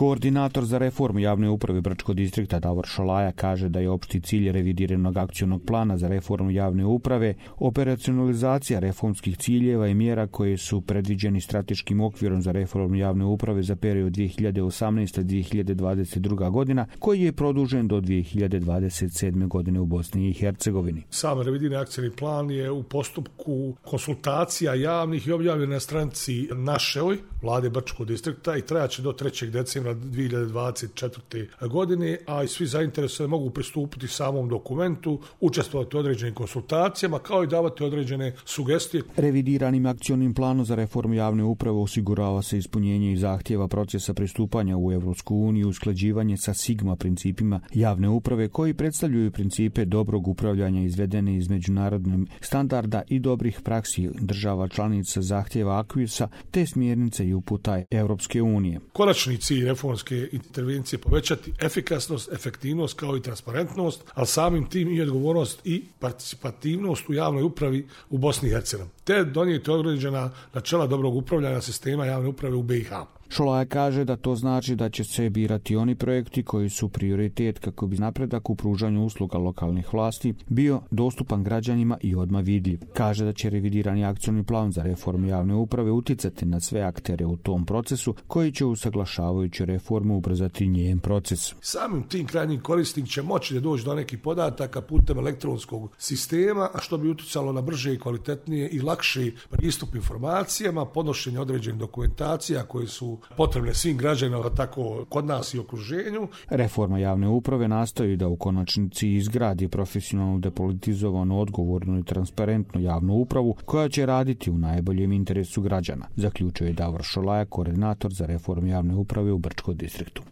Koordinator za reformu javne uprave Brčkog distrikta Davor Šolaja kaže da je opšti cilj revidiranog akcionog plana za reformu javne uprave operacionalizacija reformskih ciljeva i mjera koje su predviđeni strateškim okvirom za reformu javne uprave za period 2018-2022 godina, koji je produžen do 2027. godine u Bosni i Hercegovini. Sam revidirani akcioni plan je u postupku konsultacija javnih i objavljen na stranici našoj vlade Brčkog distrikta i trajaće do 3. decembra 2024. godine, a i svi zainteresovani mogu pristupiti samom dokumentu, učestvovati u određenim konsultacijama, kao i davati određene sugestije. Revidiranim akcionim planom za reformu javne uprave osigurava se ispunjenje i zahtjeva procesa pristupanja u Evropsku uniju, usklađivanje sa Sigma principima javne uprave koji predstavljaju principe dobrog upravljanja izvedene iz međunarodnih standarda i dobrih praksi država članica zahtjeva Akvisa te smjernice i uputa Europske unije. Konačni cilj reformske intervencije povećati efikasnost, efektivnost kao i transparentnost, ali samim tim i odgovornost i participativnost u javnoj upravi u Bosni i Hercegovini, te donijeti određena načela dobrog upravljanja sistema javne uprave u BiH. Šolaja kaže da to znači da će se birati oni projekti koji su prioritet kako bi napredak u pružanju usluga lokalnih vlasti bio dostupan građanima i odmah vidljiv. Kaže da će revidirani akcioni plan za reformu javne uprave uticati na sve aktere u tom procesu koji će usaglašavajući reformu ubrzati njen proces. Samim tim krajnjim korisnik će moći da doći do nekih podataka putem elektronskog sistema, a što bi uticalo na brže i kvalitetnije i lakše pristup informacijama, podnošenje određenih dokumentacija koje su potrebne svim građanima, tako kod nas i okruženju. Reforma javne uprave nastoji da u konačnici izgradi profesionalno, depolitizovanu, odgovornu i transparentnu javnu upravu koja će raditi u najboljem interesu građana, zaključuje Davor Šolaja, koordinator za reformu javne uprave u Brčkom distriktu.